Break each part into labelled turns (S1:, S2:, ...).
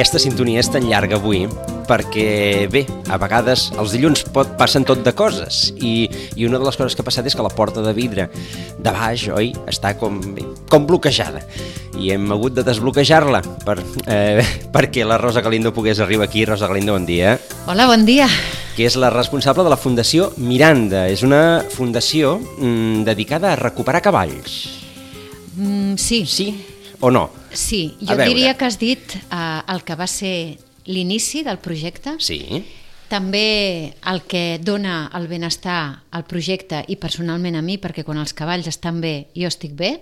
S1: aquesta sintonia és tan llarga avui perquè, bé, a vegades els dilluns passen tot de coses i una de les coses que ha passat és que la porta de vidre de baix, oi, està com bloquejada i hem hagut de desbloquejar-la perquè la Rosa Galindo pogués arribar aquí. Rosa Galindo, bon dia.
S2: Hola, bon dia.
S1: Que és la responsable de la Fundació Miranda. És una fundació dedicada a recuperar cavalls.
S2: Sí.
S1: Sí o no?
S2: Sí, jo diria que has dit el que va ser l'inici del projecte.
S1: Sí.
S2: També el que dona el benestar al projecte i personalment a mi, perquè quan els cavalls estan bé, jo estic bé.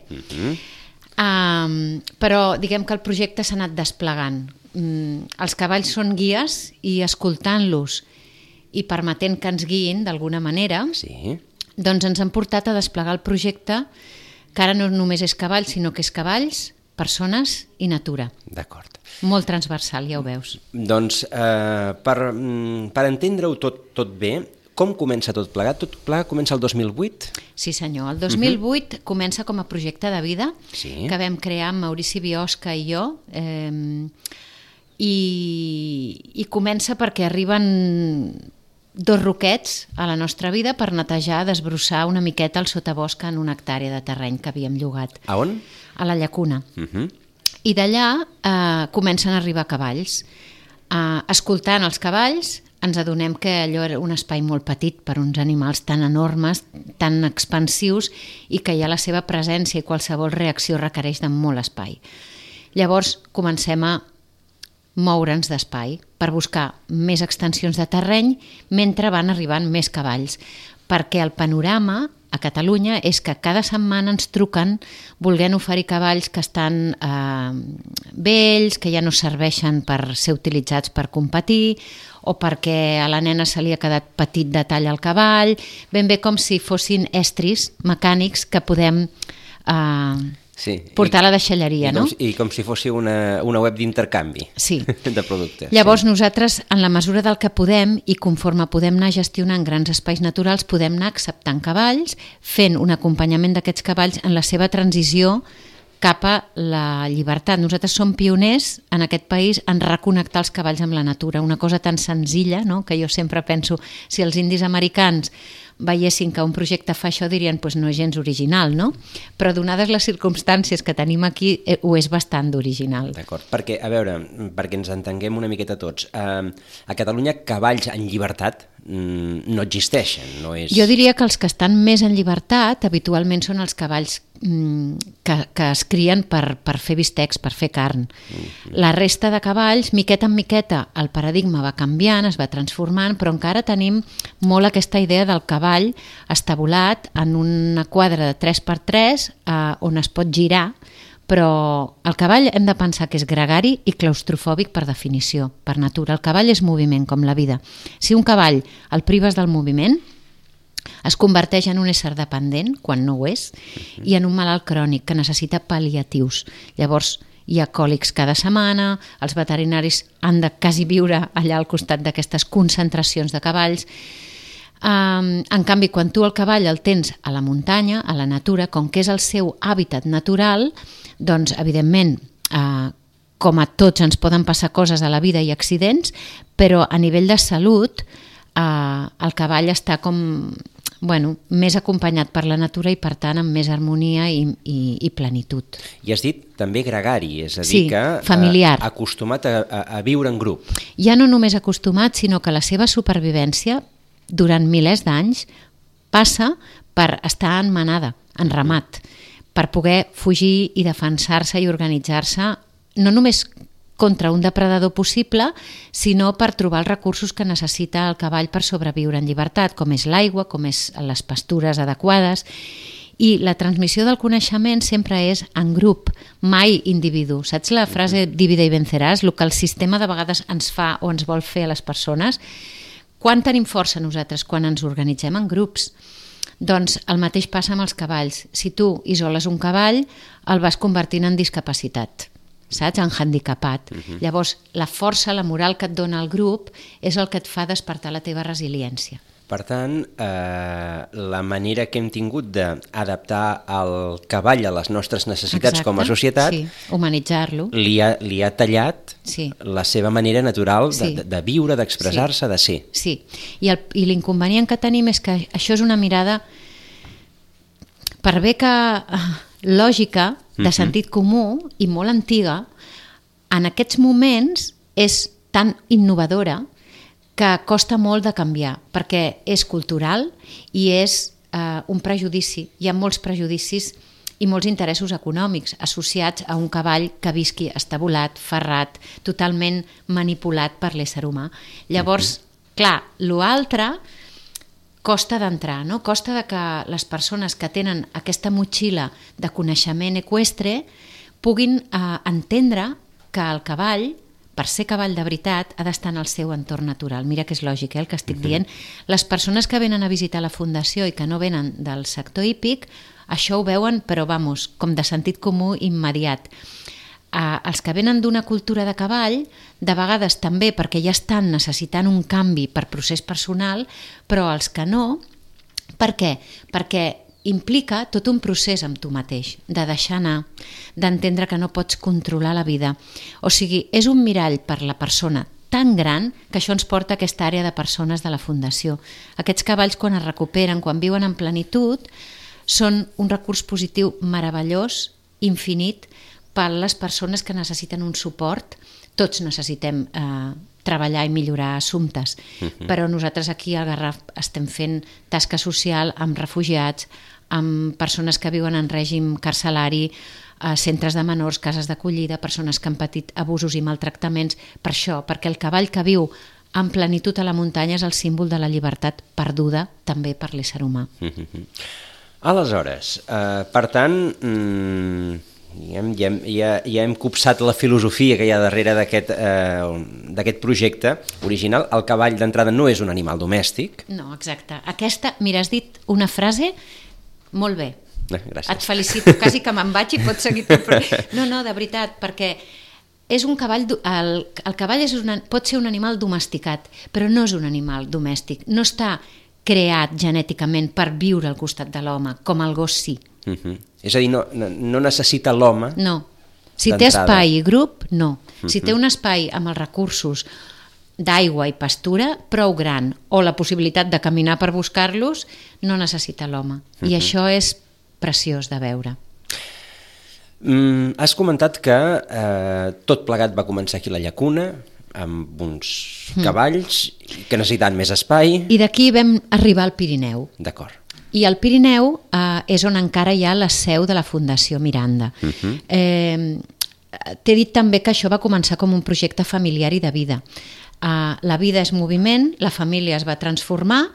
S2: Però diguem que el projecte s'ha anat desplegant. Els cavalls són guies i escoltant-los i permetent que ens guiïn d'alguna manera, doncs ens han portat a desplegar el projecte que ara no només és cavalls, sinó que és cavalls, persones i natura.
S1: D'acord.
S2: Molt transversal, ja ho veus.
S1: Doncs per entendre-ho tot bé, com comença tot plegat? Tot plegat comença el 2008?
S2: Sí senyor, el 2008 comença com a projecte de vida que vam crear amb Maurici Biosca i jo i comença perquè arriben dos roquets a la nostra vida per netejar, desbrossar una miqueta el sotabosc en una hectàrea de terreny que havíem llogat.
S1: A on?
S2: A la Llacuna. I d'allà comencen a arribar cavalls. Escoltant els cavalls ens adonem que allò era un espai molt petit per uns animals tan enormes, tan expansius i que ja la seva presència i qualsevol reacció requereix de molt espai. Llavors comencem a moure'ns d'espai per buscar més extensions de terreny mentre van arribant més cavalls, perquè el panorama a Catalunya és que cada setmana ens truquen volent oferir cavalls que estan vells, que ja no serveixen per ser utilitzats per competir o perquè a la nena se li ha quedat petit detall al cavall, ben bé com si fossin estris mecànics que podem portar a la deixalleria, no?
S1: I com si fos una web d'intercanvi de productes.
S2: Llavors nosaltres, en la mesura del que podem i conforme podem anar gestionant grans espais naturals, podem anar acceptant cavalls, fent un acompanyament d'aquests cavalls en la seva transició cap a la llibertat. Nosaltres som pioners en aquest país en reconnectar els cavalls amb la natura, una cosa tan senzilla, no? Que jo sempre penso, si els indis americans veiessin que un projecte fa això dirien doncs no és gens original, no? Però donades les circumstàncies que tenim aquí ho és bastant d'original.
S1: D'acord, perquè, a veure, perquè ens entenguem una miqueta tots, a Catalunya cavalls en llibertat no existeixen, no és...
S2: Jo diria que els que estan més en llibertat habitualment són els cavalls que es crien per fer bistecs, per fer carn. La resta de cavalls, miqueta en miqueta, el paradigma va canviant, es va transformant, però encara tenim molt aquesta idea del cavall estabulat en una quadra de 3x3 on es pot girar, però el cavall hem de pensar que és gregari i claustrofòbic per definició, per natura. El cavall és moviment, com la vida. Si un cavall el prives del moviment, es converteix en un ésser dependent, quan no ho és, i en un malalt crònic que necessita pal·liatius. Llavors, hi ha còlics cada setmana, els veterinaris han de quasi viure allà al costat d'aquestes concentracions de cavalls. En canvi, quan tu el cavall el tens a la muntanya, a la natura, com que és el seu hàbitat natural, doncs, evidentment, com a tots ens poden passar coses a la vida i accidents, però a nivell de salut el cavall està com més acompanyat per la natura i per tant amb més harmonia i plenitud.
S1: I has dit també gregari, és a dir que
S2: familiar.
S1: Acostumat a viure en grup.
S2: Ja no només acostumat, sinó que la seva supervivència durant milers d'anys passa per estar en manada, en ramat, per poder fugir i defensar-se i organitzar-se no només contra un depredador possible, sinó per trobar els recursos que necessita el cavall per sobreviure en llibertat, com és l'aigua, com és les pastures adequades. I la transmissió del coneixement sempre és en grup, mai individu. Saps la frase divide i venceràs? El que el sistema de vegades ens fa o ens vol fer a les persones. Quan tenim força nosaltres? Quan ens organitzem en grups. Doncs el mateix passa amb els cavalls. Si tu isoles un cavall, el vas convertint en discapacitat, saps? En handicapat. Llavors, la força, la moral que et dona el grup és el que et fa despertar la teva resiliència.
S1: Per tant, la manera que hem tingut d'adaptar el cavall a les nostres necessitats com a societat,
S2: sí, humanitzar-lo,
S1: li ha tallat la seva manera natural de viure, d'expressar-se, de ser.
S2: Sí, i l'inconvenient que tenim és que això és una mirada, per bé que lògica, de sentit comú i molt antiga, en aquests moments és tan innovadora que costa molt de canviar, perquè és cultural i és un prejudici. Hi ha molts prejudicis i molts interessos econòmics associats a un cavall que visqui estabulat, ferrat, totalment manipulat per l'ésser humà. Llavors, clar, l'altre costa d'entrar, no? Costa que les persones que tenen aquesta motxilla de coneixement eqüestre puguin entendre que el cavall, per ser cavall de veritat, ha d'estar en el seu entorn natural. Mira que és lògic, el que estic dient. Les persones que venen a visitar la Fundació i que no venen del sector hípic, això ho veuen, però vamos, com de sentit comú immediat. Els que venen d'una cultura de cavall, de vegades també perquè ja estan necessitant un canvi per procés personal, però els que no, per què? Perquè implica tot un procés amb tu mateix, de deixar anar, d'entendre que no pots controlar la vida. O sigui, és un mirall per la persona tan gran que això ens porta a aquesta àrea de persones de la Fundació. Aquests cavalls, quan es recuperen, quan viuen en plenitud, són un recurs positiu meravellós, infinit, per a les persones que necessiten un suport. Tots necessitem treballar i millorar assumptes, però nosaltres aquí al Garraf estem fent tasca social amb refugiats, amb persones que viuen en règim carcelari, centres de menors, cases d'acollida, persones que han patit abusos i maltractaments, per això, perquè el cavall que viu en plenitud a la muntanya és el símbol de la llibertat perduda també per l'ésser humà.
S1: Aleshores, per tant, ja hem copsat la filosofia que hi ha darrere d'aquest projecte original. El cavall d'entrada no és un animal domèstic.
S2: No, exacte. Mira, has dit una frase molt bé.
S1: Gràcies.
S2: Et felicito, quasi que me'n vaig i pots seguir tot. No, de veritat, perquè és un cavall, el cavall pot ser un animal domesticat, però no és un animal domèstic. No està creat genèticament per viure al costat de l'home, com el gos sí.
S1: És a dir, no necessita l'home.
S2: No. Si té espai i grup, no. Si té un espai amb els recursos d'aigua i pastura prou gran, o la possibilitat de caminar per buscar-los, no necessita l'home. I això és preciós de veure.
S1: Has comentat que tot plegat va començar aquí a la Llacuna, amb uns cavalls que necessitaven més espai.
S2: I d'aquí vam arribar al Pirineu.
S1: D'acord.
S2: I al Pirineu és on encara hi ha la seu de la Fundació Miranda. T'he dit també que això va començar com un projecte familiar i de vida. La vida és moviment, la família es va transformar,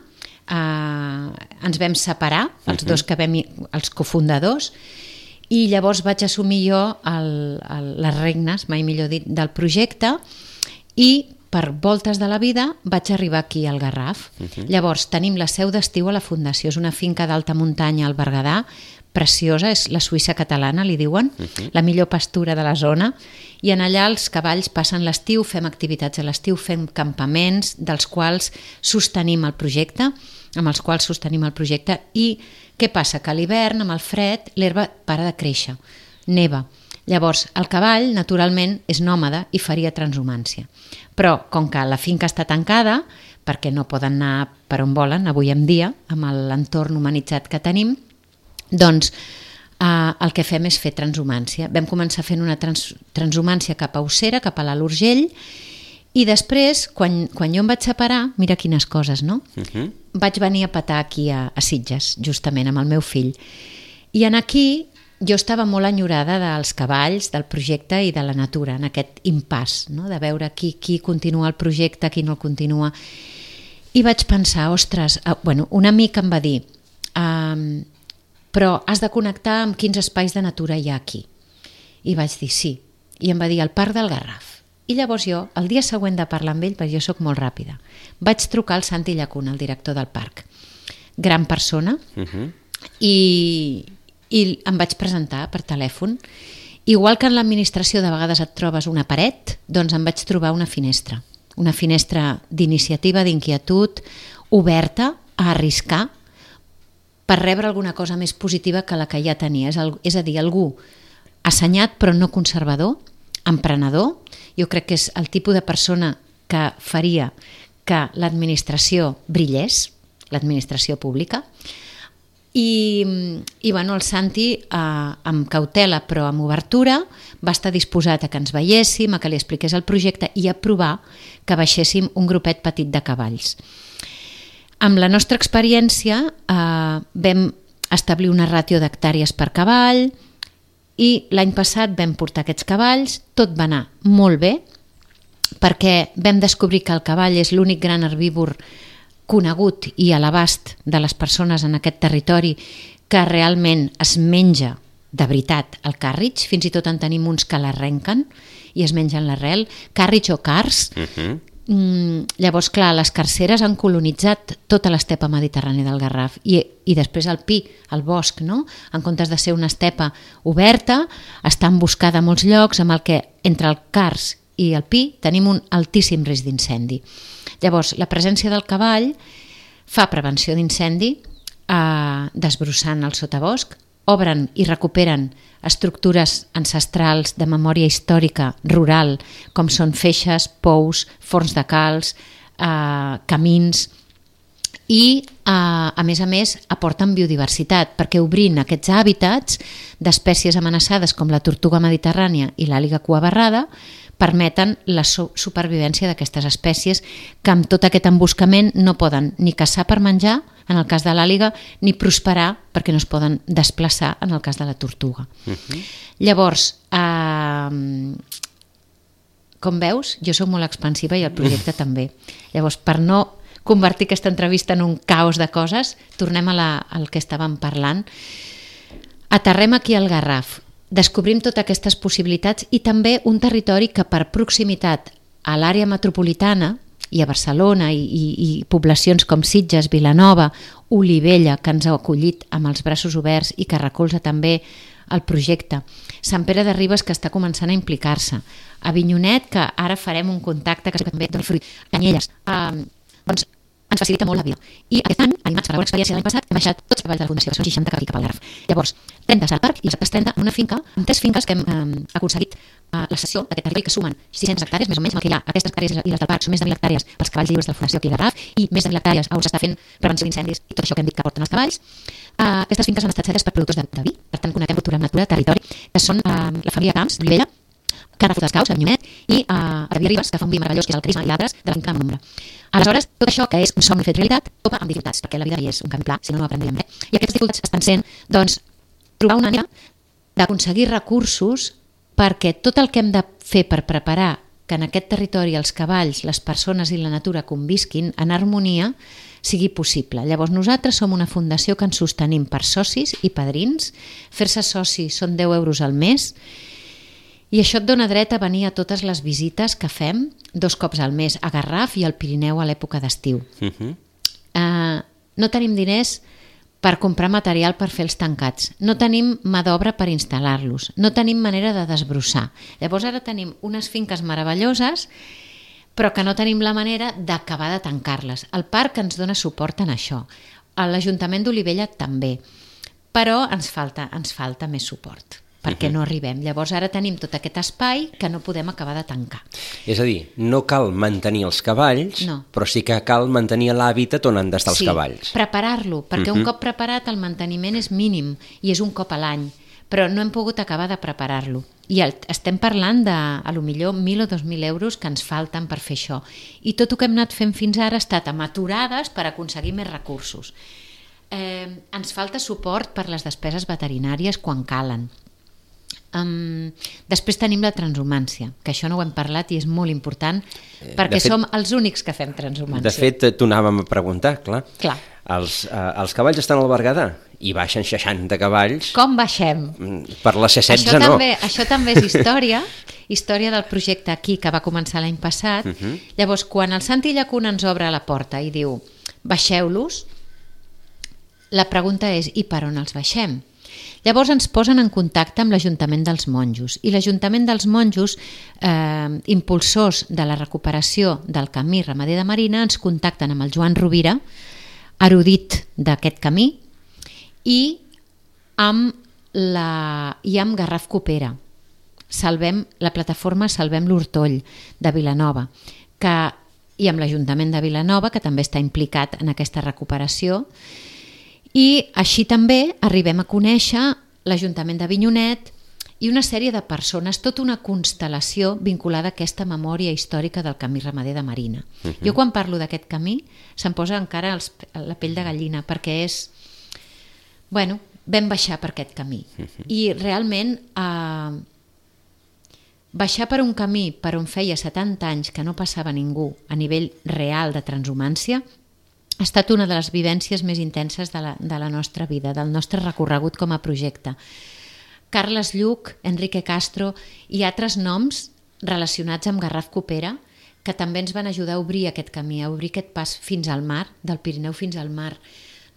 S2: ens vam separar, els dos els cofundadors, i llavors vaig assumir jo les regnes, mai millor dit, del projecte, i per voltes de la vida vaig arribar aquí al Garraf. Llavors tenim la seu d'estiu a la Fundació, és una finca d'alta muntanya al Berguedà, preciosa, és la Suïssa catalana, li diuen, la millor pastura de la zona, i en allà els cavalls passen l'estiu, fem activitats a l'estiu, fem campaments dels quals sostenim el projecte, i què passa? Que a l'hivern, amb el fred, l'herba para de créixer, neva. Llavors, el cavall, naturalment, és nòmada i faria transhumància. Però, com que la finca està tancada, perquè no poden anar per on volen avui en dia, amb l'entorn humanitzat que tenim, doncs el que fem és fer transhumància. Vam començar fent una transhumància cap a Ossera, cap a l'Alt Urgell, i després, quan jo em vaig separar, mira quines coses, no? Vaig venir a petar aquí a Sitges, justament, amb el meu fill. I en aquí jo estava molt enyorada dels cavalls, del projecte i de la natura, en aquest impàs, no? De veure qui continua el projecte, qui no el continua. I vaig pensar, ostres, un amic em va dir, però has de connectar amb quins espais de natura hi ha aquí. I vaig dir sí. I em va dir el Parc del Garraf. I llavors jo, el dia següent de parlar amb ell, perquè jo sóc molt ràpida, vaig trucar al Santi Llacuna, el director del parc. Gran persona, i em vaig presentar per telèfon. Igual que en l'administració de vegades et trobes una paret, doncs em vaig trobar una finestra d'iniciativa, d'inquietud, oberta a arriscar per rebre alguna cosa més positiva que la que ja tenia. És a dir, algú assenyat però no conservador, emprenedor. Jo crec que és el tipus de persona que faria que l'administració brillés, l'administració pública. I bueno, el Santi, amb cautela però amb obertura, va estar disposat a que ens veiéssim, a que li expliqués el projecte i a provar que baixéssim un grupet petit de cavalls. Amb la nostra experiència vam establir una ràtio d'hectàrees per cavall i l'any passat vam portar aquests cavalls, tot va anar molt bé perquè vam descobrir que el cavall és l'únic gran herbívor conegut i a l'abast de les persones en aquest territori que realment es menja de veritat el càrrig, fins i tot en tenim uns que l'arrenquen i es mengen l'arrel, càrrig o cars. Llavors, clar, les carceres han colonitzat tota l'estepa mediterrània del Garraf i després el pi, el bosc, no? En comptes de ser una estepa oberta, està emboscada a molts llocs amb el que entre el cars i el pi tenim un altíssim risc d'incendi. Llavors, la presència del cavall fa prevenció d'incendi desbrossant el sotabosc, obren i recuperen estructures ancestrals de memòria històrica rural, com són feixes, pous, forns de calç, camins, i a més aporten biodiversitat, perquè obrint aquests hàbitats d'espècies amenaçades com la tortuga mediterrània i l'àliga cuabarrada permeten la supervivència d'aquestes espècies que amb tot aquest emboscament no poden ni caçar per menjar, en el cas de l'àliga, ni prosperar perquè no es poden desplaçar en el cas de la tortuga. Llavors, com veus, jo soc molt expansiva i el projecte també. Llavors, per no convertir aquesta entrevista en un caos de coses, tornem al que estàvem parlant. Aterrem aquí al Garraf, descobrim totes aquestes possibilitats i també un territori que per proximitat a l'àrea metropolitana i a Barcelona i poblacions com Sitges, Vilanova, Olivella, que ens ha acollit amb els braços oberts i que recolza també el projecte. Sant Pere de Ribes, que està començant a implicar-se. Avinyonet, que ara farem un contacte que també doni fruit. Canyelles. Doncs ens facilita molt la vida. I aquest any, animats per la bona experiència de l'any passat, hem baixat tots els cavalls de la Fundació, que són 60 cap al Garraf. Llavors, 30 al parc i les altres 30 en una finca, amb 3 finques que hem aconseguit la cessió d'aquest territori, que sumen 600 hectàrees, més o menys, amb el que hi ha. Aquestes hectàrees i les del parc són més de 1.000 hectàrees pels cavalls lliures de la Fundació aquí al Garraf i més de 1.000 hectàrees on s'està fent prevenció d'incendis i tot això que hem dit que porten els cavalls. Aquestes finques han estat cedes per productors de vi, per tant connectem cultura amb natura, territori, que són la família Camps, d'Olivella, Carles Caus, a Avinyonet, i a David Ribes, que fa un vi meravellós, que és el Crisma, i altres de la finca amb l'ombra. Aleshores, tot això, que és un somni fet realitat, topa amb dificultats, perquè la vida és un camí pla, si no aprendríem res. I aquestes dificultats estan sent, doncs, trobar una manera d'aconseguir recursos perquè tot el que hem de fer per preparar que en aquest territori els cavalls, les persones i la natura convisquin en harmonia sigui possible. Llavors nosaltres som una fundació que ens sostenim per socis i padrins. Fer-se soci són 10 euros al mes i això et dona dret a venir a totes les visites que fem 2 cops al mes a Garraf i al Pirineu a l'època d'estiu. No tenim diners per comprar material per fer els tancats, no tenim mà d'obra per instal·lar-los, no tenim manera de desbrossar. Llavors ara tenim unes finques meravelloses però que no tenim la manera d'acabar de tancar-les. El parc ens dona suport en això, l'Ajuntament d'Olivella també, però ens falta més suport perquè no arribem. Llavors ara tenim tot aquest espai que no podem acabar de tancar.
S1: És a dir, no cal mantenir els cavalls, però sí que cal mantenir l'hàbitat on han d'estar els cavalls.
S2: Sí, preparar-lo, perquè un cop preparat el manteniment és mínim i és un cop a l'any, però no hem pogut acabar de preparar-lo. I estem parlant de, a lo millor, 1.000 o 2.000 euros que ens falten per fer això. I tot el que hem anat fent fins ara ha estat amb aturades per aconseguir més recursos. Ens falta suport per les despeses veterinàries quan calen. Després tenim la transhumància, que això no ho hem parlat i és molt important perquè som els únics que fem transhumància.
S1: De fet, t'ho anàvem a preguntar, clar. Els cavalls estan al Berguedà i baixen 60 cavalls.
S2: Com baixem?
S1: Per la C16 no.
S2: Això també és història del projecte aquí que va començar l'any passat. Llavors, quan el Santi Llacuna ens obre la porta i diu baixeu-los, la pregunta és i per on els baixem? Llavors ens posen en contacte amb l'Ajuntament dels Monjos i l'Ajuntament dels Monjos, impulsors de la recuperació del camí ramader de Marina, ens contacten amb el Joan Rovira, erudit d'aquest camí, i amb Garraf Coopera. La plataforma Salvem l'Hortoll de Vilanova, i amb l'Ajuntament de Vilanova, que també està implicat en aquesta recuperació. I així també arribem a conèixer l'Ajuntament d'Avinyonet i una sèrie de persones, tota una constel·lació vinculada a aquesta memòria històrica del camí ramader de Marina. Jo quan parlo d'aquest camí se'm posa encara la pell de gallina, perquè és... Bueno, vam baixar per aquest camí. I realment baixar per un camí per on feia 70 anys que no passava ningú a nivell real de transhumància ha estat una de les vivències més intenses de la nostra vida, del nostre recorregut com a projecte. Carles Lluch, Enrique Castro i altres noms relacionats amb Garraf Coopera que també ens van ajudar a obrir aquest camí, a obrir aquest pas fins al mar, del Pirineu fins al mar.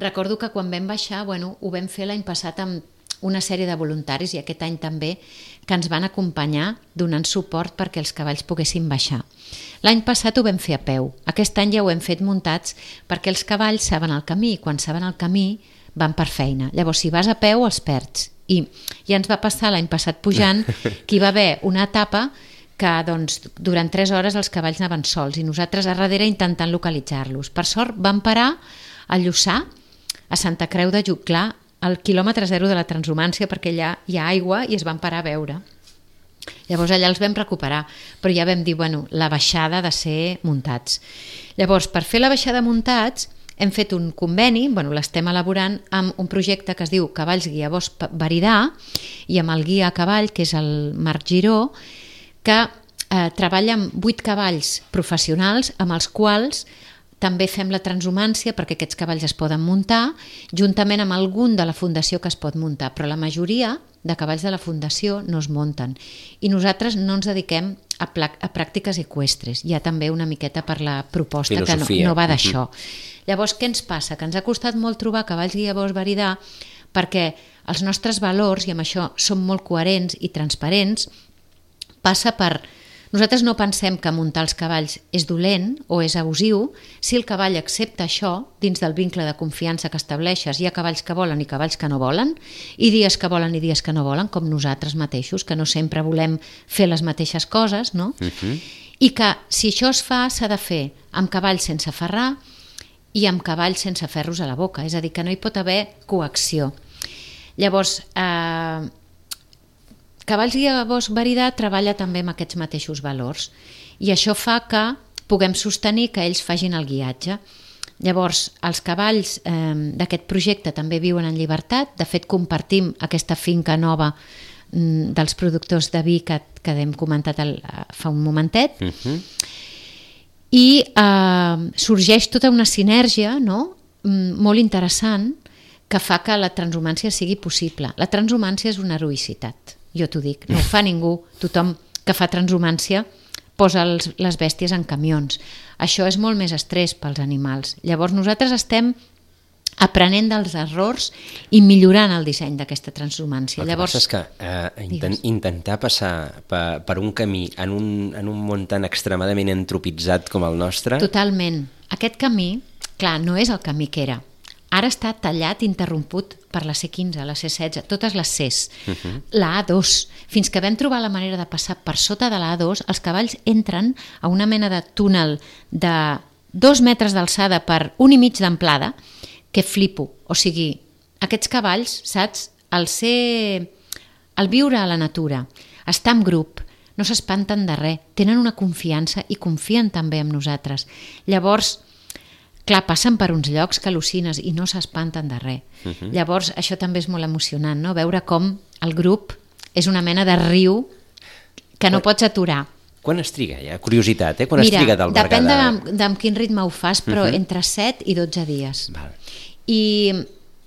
S2: Recordo que quan vam baixar, ho vam fer l'any passat amb una sèrie de voluntaris, i aquest any també, que ens van acompanyar donant suport perquè els cavalls poguessin baixar. L'any passat ho vam fer a peu, aquest any ja ho hem fet muntats perquè els cavalls saben el camí, i quan saben el camí van per feina. Llavors, si vas a peu els perds. I ja ens va passar l'any passat pujant que hi va haver una etapa que durant 3 hores els cavalls anaven sols i nosaltres a darrere intentant localitzar-los. Per sort vam parar a Lluçà, a Santa Creu de Jutglar, al quilòmetre 0 de la transhumància, perquè allà hi ha aigua i es van parar a veure. Llavors allà els vam recuperar, però ja vam dir, la baixada ha de ser muntats. Llavors, per fer la baixada muntats, hem fet un conveni, l'estem elaborant amb un projecte que es diu Cavalls Guia Bosch Veridà, i amb el guia a cavall, que és el Marc Giró, que treballa amb 8 cavalls professionals amb els quals també fem la transhumància perquè aquests cavalls es poden muntar, juntament amb algun de la fundació que es pot muntar, però la majoria de cavalls de la fundació no es munten. I nosaltres no ens dediquem a pràctiques eqüestres. Hi ha també una miqueta per la proposta que no va d'això. Llavors, què ens passa? Que ens ha costat molt trobar cavalls guia Bosch Veridà perquè els nostres valors, i amb això som molt coherents i transparents, passa per... Nosaltres no pensem que muntar els cavalls és dolent o és abusiu si el cavall accepta això dins del vincle de confiança que estableixes. Hi ha cavalls que volen i cavalls que no volen, i dies que volen i dies que no volen, com nosaltres mateixos, que no sempre volem fer les mateixes coses, no? I que si això es fa, s'ha de fer amb cavalls sense ferrar i amb cavalls sense ferros a la boca, és a dir, que no hi pot haver coacció. Llavors, Cavalls Guia Bosch Veridà treballa també amb aquests mateixos valors, i això fa que puguem sostenir que ells facin el guiatge. Llavors, els cavalls d'aquest projecte també viuen en llibertat. De fet, compartim aquesta finca nova dels productors de vi que hem comentat fa un momentet, i sorgeix tota una sinergia, no? Molt interessant, que fa que la transhumància sigui possible. La transhumància és una heroïcitat, jo t'ho dic, no ho fa ningú. Tothom que fa transhumància posa les bèsties en camions. Això és molt més estrès pels animals. Llavors nosaltres estem aprenent dels errors i millorant el disseny d'aquesta transhumància.
S1: El que passa és que intentar passar per un camí en un món tan extremadament entropitzat com el nostre...
S2: Totalment. Aquest camí, clar, no és el camí que era. Ara està tallat, interromput per la C15, la C16, totes les Cs, la A2. Fins que vam trobar la manera de passar per sota de la A2, els cavalls entren a una mena de túnel de 2 metres d'alçada per 1,5 metres d'amplada, que flipo. O sigui, aquests cavalls, saps, al viure a la natura, estar en grup, no s'espanten de res, tenen una confiança i confien també en nosaltres. Llavors, clar, passen per uns llocs que al·lucines i no s'espanten de res. Llavors, això també és molt emocionant, no? Veure com el grup és una mena de riu que no pots aturar.
S1: Quan es triga, ja? Curiositat, Quan es triga d'albergar?
S2: Depèn d'en quin ritme ho fas, però entre 7 i 12 dies.
S1: Val.
S2: I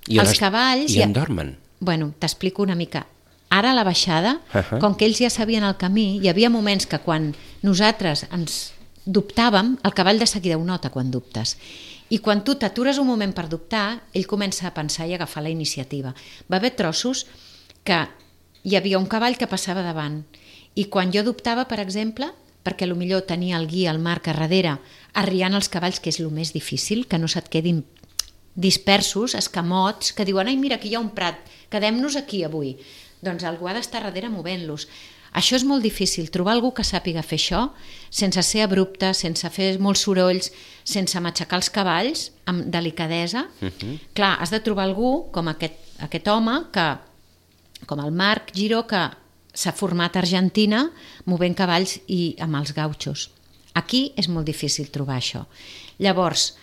S2: els cavalls...
S1: I on dormen?
S2: Bueno, t'explico una mica. Ara a la baixada, com que ells ja sabien el camí, hi havia moments que quan nosaltres ens dubtàvem, el cavall de seguida ho nota quan dubtes. I quan tu t'atures un moment per dubtar, ell comença a pensar i a agafar la iniciativa. Va haver trossos que hi havia un cavall que passava davant, i quan jo dubtava, per exemple, perquè potser tenia el guia, el Marc, a darrere, arriant els cavalls, que és el més difícil, que no se't quedin dispersos, escamots, que diuen, ai, mira, aquí hi ha un prat, quedem-nos aquí avui. Doncs algú ha d'estar darrere movent-los. Això és molt difícil, trobar algú que sàpiga fer això sense ser abrupte, sense fer molts sorolls, sense matxacar els cavalls, amb delicadesa. Clar, has de trobar algú com aquest home, com el Marc Giró, que s'ha format a Argentina movent cavalls i amb els gautxos. Aquí és molt difícil trobar això. Llavors,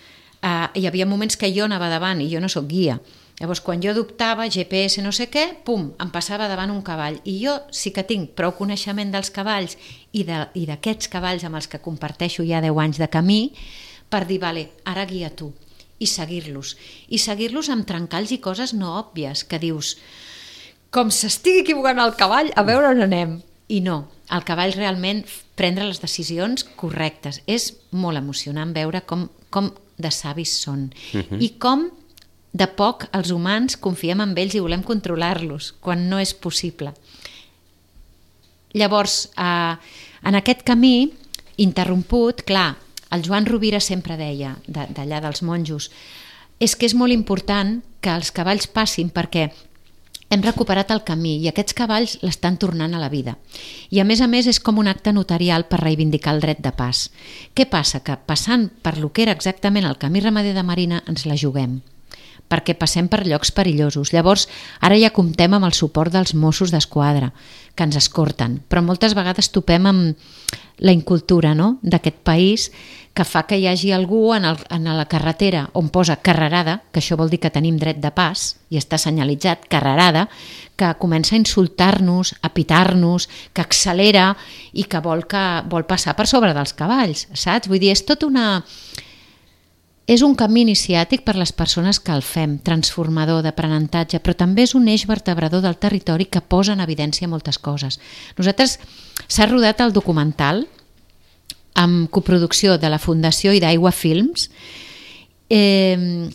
S2: hi havia moments que jo anava davant i jo no sóc guia. Llavors, quan jo adoptava GPS no sé què, pum, em passava davant un cavall. I jo sí que tinc prou coneixement dels cavalls i d'aquests cavalls amb els que comparteixo ja 10 anys de camí per dir, vale, ara guia tu, i seguir-los. I seguir-los amb trencalls i coses no òbvies, que dius, com s'estigui equivocant el cavall, a veure on anem. I no, el cavall realment prendre les decisions correctes. És molt emocionant veure com de savis són i com de poc els humans confiem en ells i volem controlar-los quan no és possible. Llavors, en aquest camí interromput, clar, el Joan Rovira sempre deia, d'allà dels monjos, és que és molt important que els cavalls passin perquè hem recuperat el camí i aquests cavalls l'estan tornant a la vida. I a més és com un acte notarial per reivindicar el dret de pas. Què passa? Que passant per lo que era exactament el camí ramader de Marina ens la juguem, perquè passem per llocs perillosos. Llavors, ara ja comptem amb el suport dels Mossos d'Esquadra, que ens escorten, però moltes vegades topem amb la incultura, no?, d'aquest país, que fa que hi hagi algú en la carretera on posa carrerada, que això vol dir que tenim dret de pas, i està senyalitzat, carrerada, que comença a insultar-nos, a pitar-nos, que accelera i que vol passar per sobre dels cavalls, saps? Vull dir, és un camí iniciàtic per les persones que el fem, transformador, d'aprenentatge, però també és un eix vertebrador del territori que posa en evidència moltes coses. Nosaltres s'ha rodat el documental amb coproducció de la Fundació i d'Aigua Films, que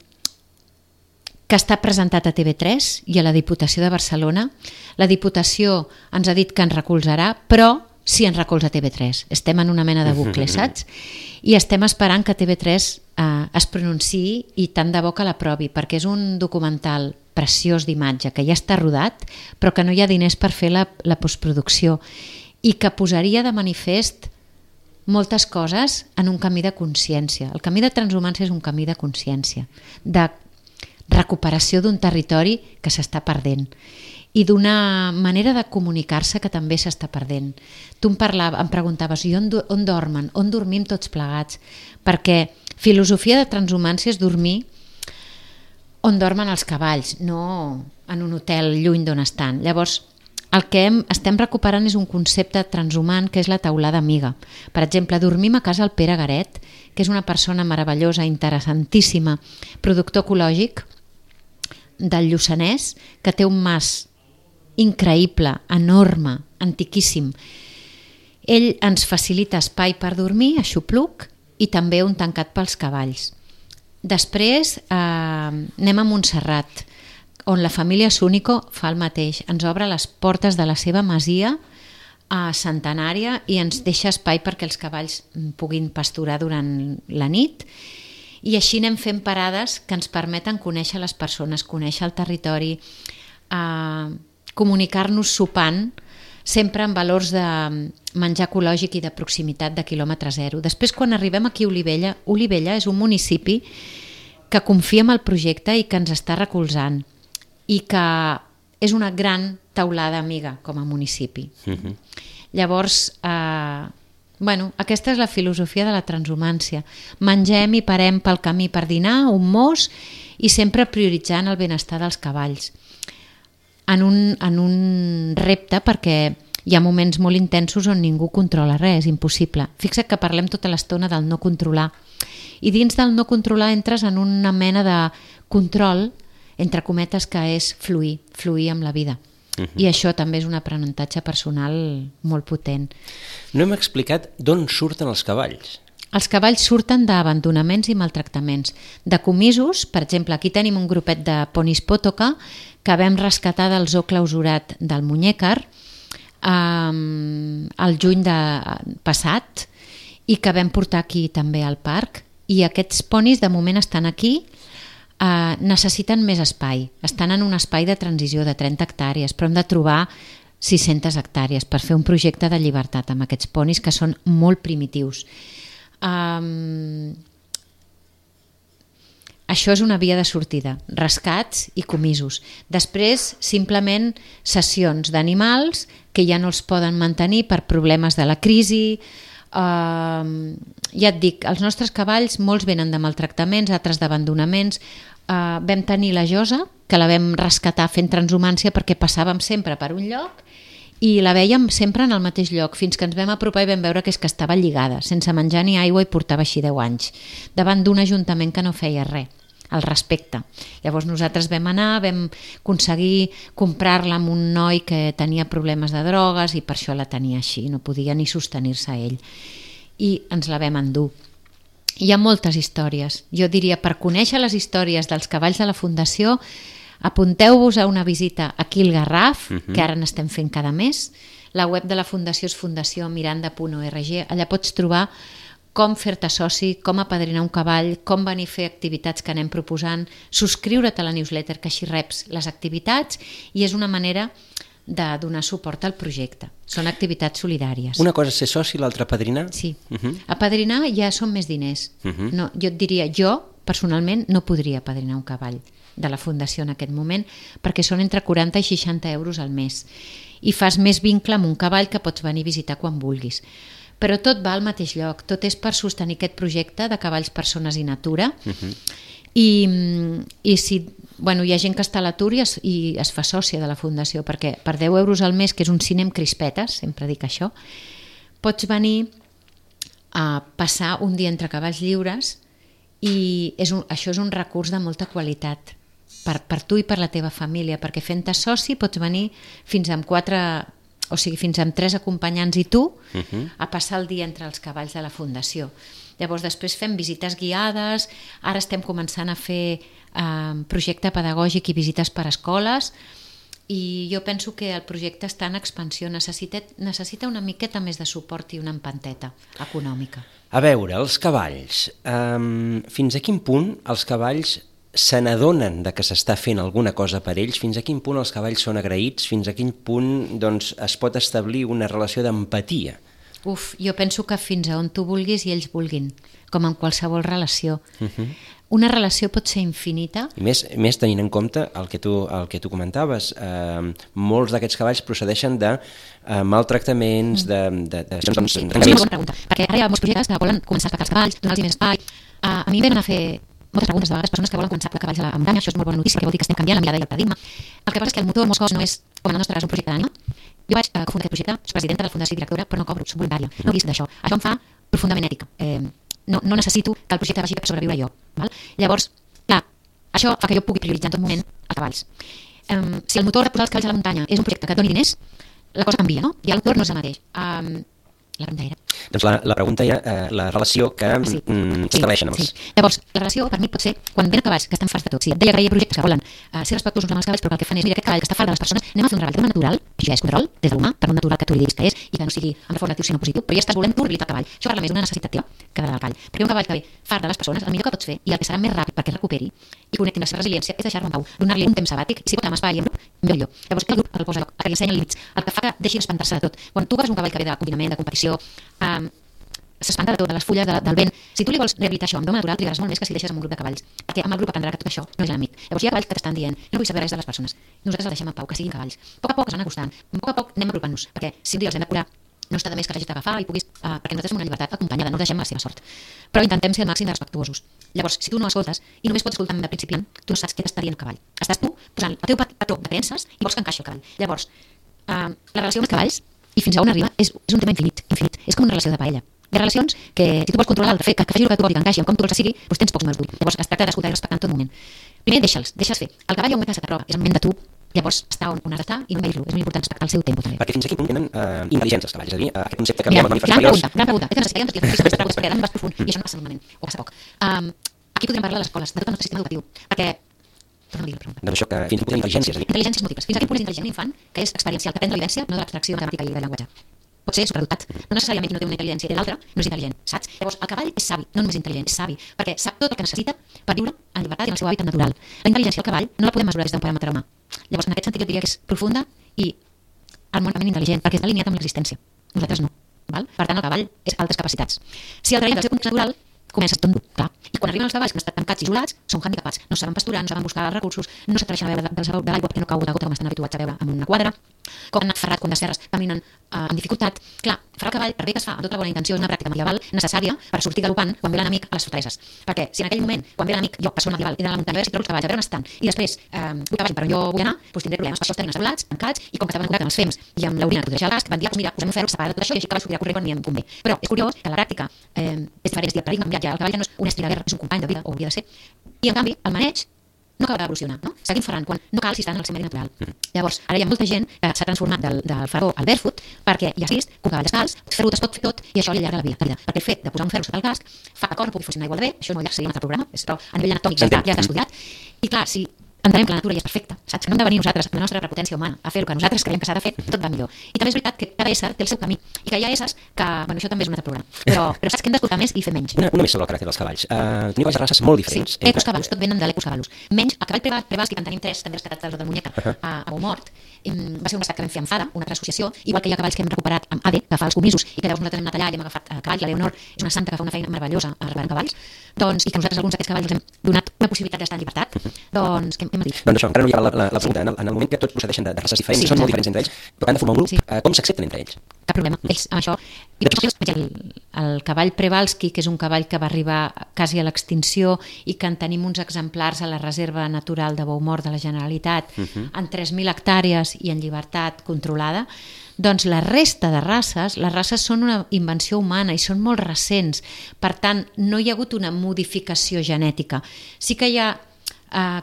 S2: està presentat a TV3 i a la Diputació de Barcelona. La Diputació ens ha dit que ens recolzarà, però sí ens recolza TV3. Estem en una mena de bucle, saps? I estem esperant que TV3 es pronunciï i tant de bo que l'aprovi, perquè és un documental preciós d'imatge, que ja està rodat, però que no hi ha diners per fer la postproducció i que posaria de manifest moltes coses en un camí de consciència. El camí de transhumància és un camí de consciència, de recuperació d'un territori que s'està perdent i d'una manera de comunicar-se que també s'està perdent. Tu em preguntaves, i on dormen? On dormim tots plegats? Perquè filosofia de transhumància és dormir on dormen els cavalls, no en un hotel lluny d'on estan. Llavors, el que estem recuperant és un concepte transhumant que és la teulada amiga. Per exemple, dormim a casa el Pere Garet, que és una persona meravellosa, interessantíssima, productor ecològic del Lluçanès, que té un mas increïble, enorme, antiquíssim. Ell ens facilita espai per dormir, aixopluc, i també un tancat pels cavalls. Després anem a Montserrat, on la família Súnico fa el mateix. Ens obre les portes de la seva masia centenària i ens deixa espai perquè els cavalls puguin pasturar durant la nit. I així anem fent parades que ens permeten conèixer les persones, conèixer el territori, comunicar-nos sopant, sempre amb valors de menjar ecològic i de proximitat de quilòmetre zero. Després, quan arribem aquí a Olivella, Olivella és un municipi que confia en el projecte i que ens està recolzant i que és una gran teulada amiga com a municipi. Llavors, aquesta és la filosofia de la transhumància. Mengem i parem pel camí per dinar, un mos, i sempre prioritzant el benestar dels cavalls. En un repte, perquè hi ha moments molt intensos on ningú controla res, és impossible. Fixa't que parlem tota l'estona del no controlar. I dins del no controlar entres en una mena de control, entre cometes, que és fluir amb la vida. I això també és un aprenentatge personal molt potent.
S1: No hem explicat d'on surten els cavalls.
S2: Els cavalls surten d'abandonaments i maltractaments, de comisos. Per exemple, aquí tenim un grupet de ponis Potoka que vam rescatar del zoo clausurat del Muñécar el juny passat i que vam portar aquí també al parc, i aquests ponis de moment estan aquí necessiten més espai. Estan en un espai de transició de 30 hectàrees, però hem de trobar 600 hectàrees per fer un projecte de llibertat amb aquests ponis que són molt primitius. Això és una via de sortida, rescats i comisos. Després, simplement sessions d'animals que ja no els poden mantenir per problemes de la crisi. Ja et dic, els nostres cavalls, molts venen de maltractaments, altres d'abandonaments. Vam tenir la Josa, que la vam rescatar fent transhumància perquè passàvem sempre per un lloc i la vèiem sempre en el mateix lloc, fins que ens vam apropar i vam veure que estava lligada, sense menjar ni aigua, i portava així 10 anys, davant d'un ajuntament que no feia res al respecte. Llavors nosaltres vam anar, vam aconseguir comprar-la amb un noi que tenia problemes de drogues i per això la tenia així, no podia ni sostenir-se ell. I ens la vam endur. Hi ha moltes històries. Jo diria, per conèixer les històries dels cavalls de la Fundació, apunteu-vos a una visita aquí al Garraf, que ara n'estem fent cada mes. La web de la Fundació és fundaciomiranda.org. Allà pots trobar com fer-te soci, com apadrinar un cavall, com venir a fer activitats que anem proposant, subscriure't a la newsletter, que així reps les activitats, i és una manera de donar suport al projecte. Són activitats solidàries.
S1: Una cosa és ser soci, l'altra apadrinar?
S2: Sí. Apadrinar ja són més diners. No, jo et diria, jo personalment no podria apadrinar un cavall de la Fundació en aquest moment, perquè són entre 40 i 60 euros al mes. I fas més vincle amb un cavall que pots venir a visitar quan vulguis. Però tot va al mateix lloc, tot és per sostenir aquest projecte de cavalls, persones i natura. I si hi ha gent que està a l'atur i es fa sòcia de la Fundació, perquè per 10 euros al mes, que és un cine amb crispetes, sempre dic això, pots venir a passar un dia entre cavalls lliures, i això és un recurs de molta qualitat per tu i per la teva família, perquè fent-te soci pots venir fins amb 3 acompanyants i tu a passar el dia entre els cavalls de la Fundació. Llavors després fem visites guiades, ara estem començant a fer projecte pedagògic i visites per escoles, i jo penso que el projecte està en expansió, necessita una miqueta més de suport i una empanteta econòmica.
S1: A veure, els cavalls, fins a quin punt els cavalls se n'adonen de que s'està fent alguna cosa per ells, fins a quin punt els cavalls són agraïts, fins a quin punt es pot establir una relació d'empatia?
S2: Jo penso que fins a on tu vulguis i ells vulguin, com en qualsevol relació. Una relació pot ser infinita.
S1: I més tenint en compte el que tu comentaves, molts d'aquests cavalls procedeixen de maltractaments, de...
S2: És una bona pregunta, perquè ara hi ha molts projectes que volen començar a explicar els cavalls, donar-los més espai. A mi em van a fer moltes preguntes de vegades, persones que volen començar a cavalls a la muntanya. Això és molt bona notícia, perquè vol dir que estem canviant la mirada i el paradigma. El que passa és que el motor molts cops no és, com en el nostre cas, un projecte d'ànima. Jo vaig cofundar aquest projecte, soc presidenta de la Fundació i directora, però no cobro, soc voluntària, no visc d'això. Això em fa profundament ètica. No necessito que el projecte vagi per sobreviure jo. Val? Llavors, clar, això fa que jo pugui prioritzar en tot moment els cavalls. Si el motor de posar els cavalls a la muntanya és un projecte que et doni diners, la cosa canvia, no? I el motor no és el mateix. La pregunta era?
S1: Doncs la pregunta era la relació que estableixen amb els...
S2: Llavors, la relació per mi pot ser quan venen cavalls que estan farts de tot. Sí, et deia que hi ha projectes que volen ser respectuosos amb els cavalls, però que el que fan és, mira, aquest cavall que està fart de les persones, anem a fer un treball de natural, això ja és control des de l'humà, per un natural que tu li diguis que és i que no sigui amb reforç negatiu sinó positiu, però ja estàs volent tu rehabilitar el cavall. Això parla més d'una necessitat teva que de la cavall. Perquè un cavall que ve fart de les persones, el millor que pots fer i el que serà més ràpid perquè recuperi i connecti amb la seva resiliència és deixar-lo en pau, donar-li un temps sabàtic, i si pot amb espai i amb grup, millor. Llavors, que el grup el posa a lloc, que li ensenya límits, el que fa que deixi d'espantar-se de tot. Quan tu agafes un cavall que ve de confinament, de competició, s'espanta de tot, de les fulles, del vent. Si tu li vols rehabilitar això amb doma natural, trigaràs molt més que si deixes amb un grup de cavalls, perquè amb el grup aprendrà que tot això no és l'enemic. Llavors hi ha cavalls que t'estan dient, no vull saber res de les persones, nosaltres els deixem en pau, que siguin cavalls. A poc es van acostant, a poc anem apropant-nos, perquè si un dia els hem de curar, no està de més que l'hagis d'agafar i puguis, perquè nosaltres som una llibertat acompanyada, no els deixem a la seva sort. Però intentem ser el màxim de respectuosos. Llavors, si tu no escoltes i només pots escoltar de principiant, tu no saps què t'està dient el cavall. Estàs tu posant el teu patró de creences i vols que encaixi el cavall. Llavors, la relació amb els cavalls i fins a on arriba és un tema infinit. És com una relació de paella. Hi ha relacions que, si tu vols controlar l'altre, que faci el que tu vols i que encaixi amb com tu vols que sigui, doncs tens pocs números d'ull. Llavors es tracta d'escoltar i respectar en tot moment. Primer deixa'ls fer. El cavall hi ha un moment que se t'aprova, és el moment de tu, llavors està on has d'estar i no envair-lo. És molt important respectar el seu tempo també.
S1: Perquè fins a quin punt tenen intel·ligència els cavalls? És a dir, aquest concepte que veiem en mamífers superiors...
S2: Gran pregunta. Aquesta necessitat perquè ara vas profund i això no passa malament, o passa poc. Aquí podríem parlar a les escoles, de tot el nostre sistema educatiu, perquè...
S1: Doncs això, que fins a quin punt tenen intel·ligències?
S2: Intel·ligències múltiples. Fins a quin punt és intel·ligent l'infant, que és experiencial, que aprèn de la vivència, no de l'abstracció matemàtica i de llenguatge. pot ser superdotat. No necessàriament qui no té una intel·ligència i té l'altra no és intel·ligent, saps? Llavors, el cavall és savi, no només intel·ligent, és savi, perquè sap tot el que necessita per viure en llibertat i en el seu hàbitat natural. La intel·ligència del cavall no la podem mesurar des d'un paràmetre humà. Llavors, en aquest sentit, jo diria que és profunda i harmònicament intel·ligent, perquè està alineat amb l'existència. Nosaltres no. Val? Per tant, el cavall és altres capacitats. Si el traiem del seu context natural, comença tot clar. I quan arriben els cavalls que han estat tancats i isolats, són handicapats. No saben pasturar, no saben buscar recursos, no s'atreveixen a beure de l'aigua perquè no cau de gota com estan habituats a beure en una quadra, com han anat ferrat quan de serres caminen amb dificultat. Clar, fer el cavall, per bé que es fa amb tota la bona intenció, és una pràctica medieval necessària per sortir galopant quan ve l'enemic a les fortaleses. Perquè si en aquell moment, quan ve l'enemic, jo, persona medieval, he d'anar a la muntanya, a veure si trobo els cavalls, a veure on estan, i després vull que vagin per on jo vull anar, doncs tindré problemes. Per això els tenen assebolats, tancats, i com que estaven en contacte amb els fems i amb l'orina que protegeix el gas, van dir, doncs mira, posem un ferro separat de tot això i així el cavall sortirà corrent quan m'hi convé. Però és curiós que la pràctica és diferent, és dir, el paradigma canviat ja, el cavall ja no és un estri de guerra, és un company de vida, o hauria de ser, i en canvi el maneig no acaba d'evolucionar, no? Seguim ferrant quan no cal si estan en el seu medi natural. Llavors, ara hi ha molta gent que s'ha transformat del ferro al barefoot perquè ja has vist que un cavall descalç, ferrut es pot fer tot i això li allarga la vida. Perquè el fet de posar un ferro sota el casc fa que el cos no pugui funcionar igual de bé, això no seria un altre programa, però a nivell anatòmic ja està estudiat. I clar, si entenem que la natura ja és perfecta, saps? Que no hem de venir nosaltres, amb la nostra prepotència humana, a fer el que nosaltres creiem que s'ha de fer, tot va millor. I també és veritat que cada ésser té el seu camí i que hi ha éssers que, bueno, això també és un altre programa, però saps que hem d'escoltar més i fer menys.
S1: Una més sobre el caràcter dels cavalls. Teniu cavalls de races molt diferents.
S2: Sí, ecus cavallos, tot venen de l'ecus cavallos. Menys el cavall Przewalski, que en tenim 3, també rescatats del Muñeca, a Beaumort, va ser un rescat que vam fer amb FADA, una altra associació, igual que hi ha cavalls que hem recuperat amb ADE, que fa els comisos, i que llavors nosaltres hem anat allà i hem agafat cavalls. La Leonor és una santa que fa una feina meravellosa a reparar cavalls, doncs, i que nosaltres alguns d'aquests cavalls els hem donat una possibilitat d'estar en llibertat. Doncs, què hem dit?
S1: Doncs això, encara no hi ha la pregunta. En el moment que tots procedeixen de races diferents, són molt diferents entre ells, però que han de formar un grup, com s'accepten entre ells?
S2: Cap problema. Ells, amb això... El cavall Przewalski, que és un cavall que va arribar quasi a l'extinció i que en tenim uns exemplars a la Reserva Natural de Beaumort de la Generalitat, en 3.000 hectàrees i en llibertat controlada, doncs la resta de races, les races són una invenció humana i són molt recents. Per tant, no hi ha hagut una modificació genètica. Sí que hi ha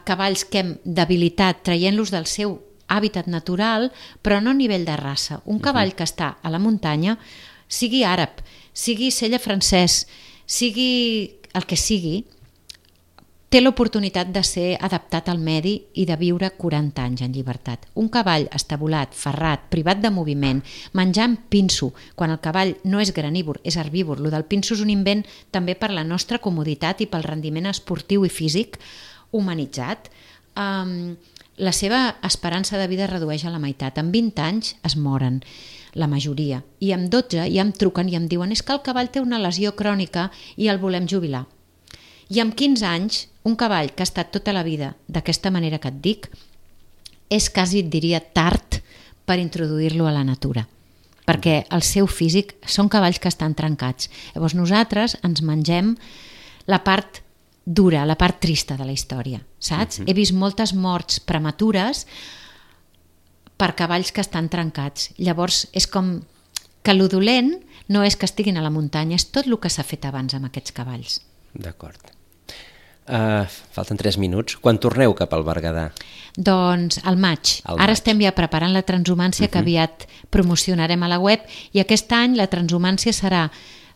S2: cavalls que hem debilitat traient-los del seu hàbitat natural, però no a nivell de raça. Un cavall que està a la muntanya, sigui àrab, sigui sella francès, sigui el que sigui, té l'oportunitat de ser adaptat al medi i de viure 40 anys en llibertat. Un cavall estabulat, ferrat, privat de moviment, menjant pinso, quan el cavall no és granívor, és herbívor. Lo del pinso és un invent també per la nostra comoditat i pel rendiment esportiu i físic humanitzat. La seva esperança de vida es redueix a la meitat. En 20 anys es moren, la majoria. I amb 12 ja em truquen i em diuen és que el cavall té una lesió crònica i el volem jubilar. I amb 15 anys, un cavall que ha estat tota la vida d'aquesta manera que et dic, és quasi, et diria, tard per introduir-lo a la natura. Perquè el seu físic són cavalls que estan trencats. Llavors nosaltres ens mengem la part dura, la part trista de la història, saps? He vist moltes morts prematures per cavalls que estan trencats. Llavors és com que lo dolent no és que estiguin a la muntanya, és tot el que s'ha fet abans amb aquests cavalls.
S1: D'acord. Falten 3 minuts. Quan torneu cap al Berguedà?
S2: Doncs al maig. Ara estem ja preparant la transhumància que aviat promocionarem a la web i aquest any la transhumància serà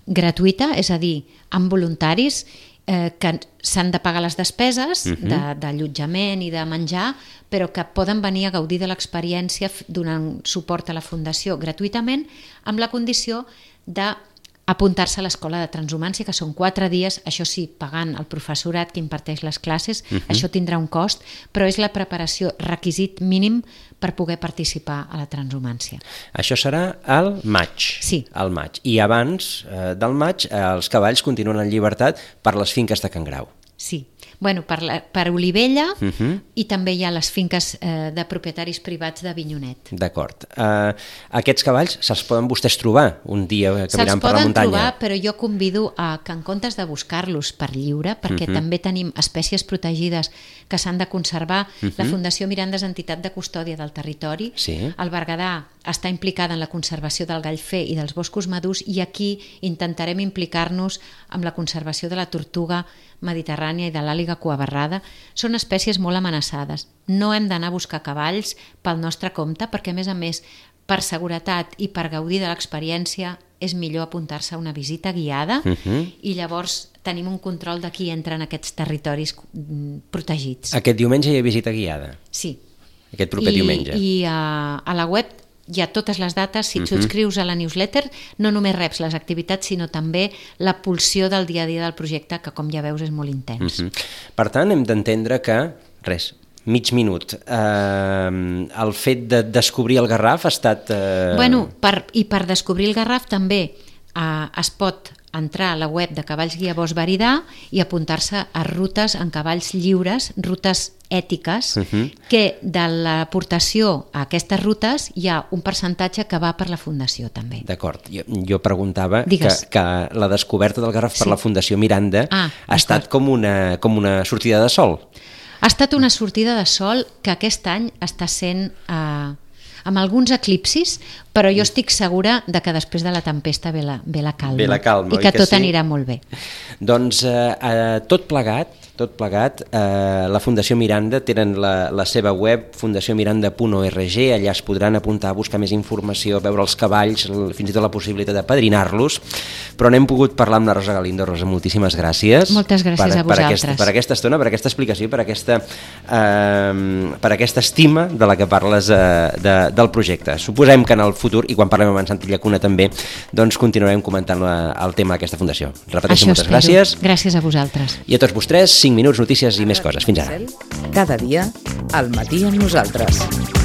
S2: gratuïta, és a dir, amb voluntaris que s'han de pagar les despeses d'allotjament i de menjar, però que poden venir a gaudir de l'experiència donant suport a la Fundació gratuïtament, amb la condició d'apuntar-se a l'escola de transhumància, que són 4 dies, això sí, pagant el professorat que imparteix les classes, això tindrà un cost, però és la preparació requisit mínim per poder participar a la transhumància.
S1: Això serà al maig.
S2: Sí.
S1: Al maig. I abans del maig els cavalls continuen en llibertat per les finques de Can Grau.
S2: Sí. Bueno, per Olivella i també hi ha les finques de propietaris privats d'Avinyonet.
S1: D'acord. Aquests cavalls se'ls poden vostès trobar un dia caminant per la muntanya?
S2: Se'ls poden trobar, però jo convido a que en comptes de buscar-los per lliure, perquè també tenim espècies protegides que s'han de conservar, la Fundació Miranda és entitat de custòdia del territori, el Berguedà està implicada en la conservació del gallfer i dels boscos madurs i aquí intentarem implicar-nos amb la conservació de la tortuga mediterrània i de l'àliga cuabarrada. Són espècies molt amenaçades. No hem d'anar a buscar cavalls pel nostre compte perquè, a més, per seguretat i per gaudir de l'experiència és millor apuntar-se a una visita guiada i llavors tenim un control de qui entra en aquests territoris protegits.
S1: Aquest diumenge hi ha visita guiada?
S2: Sí.
S1: Aquest proper diumenge?
S2: I a la web hi ha totes les dates, si et subscrius a la newsletter no només reps les activitats sinó també la pulsió del dia a dia del projecte, que com ja veus és molt intens.
S1: Per tant, hem d'entendre que, mig minut, el fet de descobrir el Garraf ha estat...
S2: Bueno, per descobrir el Garraf també es pot entrar a la web de Cavalls Guia Bosch Veridà i apuntar-se a rutes en cavalls lliures, rutes ètiques, que de l'aportació a aquestes rutes hi ha un percentatge que va per la Fundació també.
S1: D'acord, jo preguntava que la descoberta del Garraf per la Fundació Miranda ha estat com una sortida de sol.
S2: Ha estat una sortida de sol que aquest any està sent... amb alguns eclipsis, però jo estic segura de que després de la tempesta ve la calma.
S1: Ve la calma,
S2: i que tot anirà molt bé.
S1: Doncs tot plegat, la Fundació Miranda tenen la seva web, fundaciomiranda.org, allà es podran apuntar a buscar més informació, veure els cavalls, fins i tot la possibilitat de padrinar-los, però n'hem pogut parlar amb la Rosa Galindo. Rosa, moltíssimes gràcies.
S2: Moltes gràcies a vosaltres.
S1: Per aquesta estona, per aquesta explicació, per aquesta estima de la que parles del projecte. Suposem que en el futur, i quan parlem amb en Santi Llacuna també, doncs continuarem comentant el tema d'aquesta fundació. Repeteixo, moltes gràcies.
S2: Gràcies a vosaltres.
S1: I a tots vostès, 5 minuts, notícies i més coses. Fins ara.
S3: Cada dia, al matí amb nosaltres.